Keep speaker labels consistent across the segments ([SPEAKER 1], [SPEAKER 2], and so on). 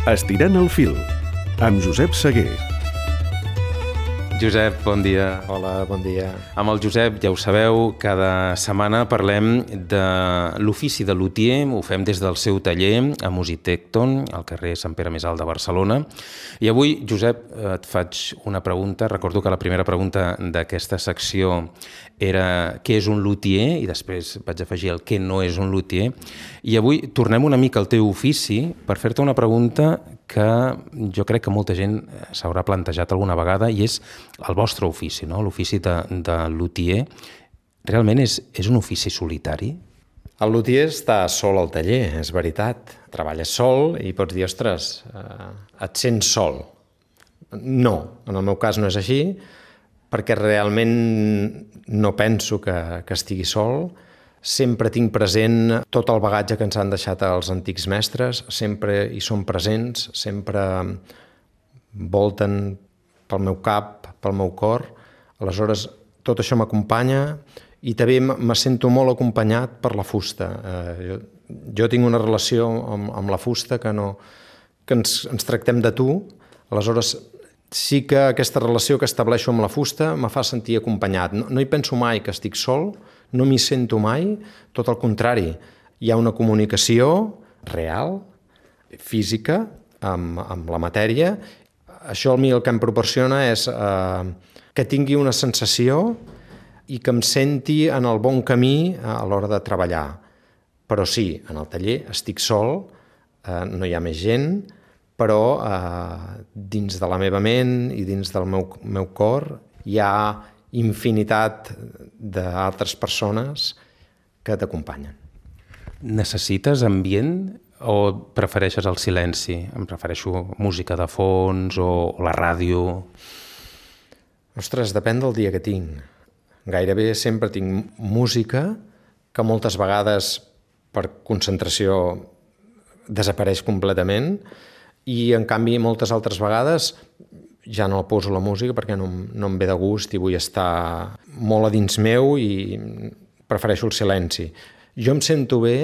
[SPEAKER 1] Estirant el fil, amb Josep Seguer.
[SPEAKER 2] Josep, bon dia.
[SPEAKER 3] Hola, bon dia.
[SPEAKER 2] Amb el Josep, ja ho sabeu, cada setmana parlem de l'ofici de lutier. Ho fem des del seu taller a Musitecton, al carrer Sant Pere Més Alt de Barcelona. I avui, Josep, et faig una pregunta. Recordo que la primera pregunta d'aquesta secció era què és un lutier, i després vaig afegir el què no és un lutier. I avui tornem una mica al teu ofici per fer-te una pregunta que jo crec que molta gent s'haurà plantejat alguna vegada, i és el vostre ofici, no? L'ofici de lutier. Realment és un ofici solitari?
[SPEAKER 3] El lutier està sol al taller, és veritat. Treballes sol i pots dir, ostres, et sents sol. No, en el meu cas no és així, perquè realment no penso que estigui sol. Sempre tinc present tot el bagatge que ens han deixat els antics mestres, sempre hi són presents, sempre volten pel meu cap, pel meu cor. Aleshores, tot això m'acompanya i també me sento molt acompanyat per la fusta. Jo tinc una relació amb la fusta que ens tractem de tu. Aleshores, sí que aquesta relació que estableixo amb la fusta me fa sentir acompanyat. No hi penso mai que estic sol, no m'hi sento mai, tot el contrari. Hi ha una comunicació real, física, amb la matèria. Això a mi el que em proporciona és que tingui una sensació i que em senti en el bon camí a l'hora de treballar. Però sí, en el taller estic sol, no hi ha més gent, però dins de la meva ment i dins del meu cor hi ha infinitat d'altres persones que t'acompanyen.
[SPEAKER 2] Necessites ambient o prefereixes el silenci? Em prefereixo música de fons o la ràdio?
[SPEAKER 3] Ostres, depèn del dia que tinc. Gairebé sempre tinc música que moltes vegades per concentració desapareix completament i en canvi moltes altres vegades ja no poso la música perquè no em ve de gust i vull estar molt a dins meu i prefereixo el silenci. Jo em sento bé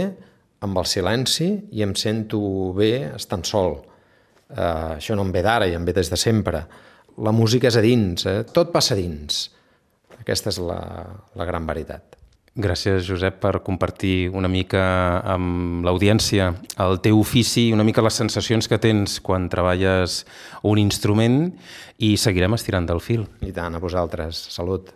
[SPEAKER 3] amb el silenci i em sento bé estant sol. Això no em ve d'ara i em ve des de sempre. La música és a dins, tot passa a dins. Aquesta és la gran veritat.
[SPEAKER 2] Gràcies, Josep, per compartir una mica amb l'audiència el teu ofici i una mica les sensacions que tens quan treballes un instrument, i seguirem estirant del fil.
[SPEAKER 3] I tant, a vosaltres. Salut.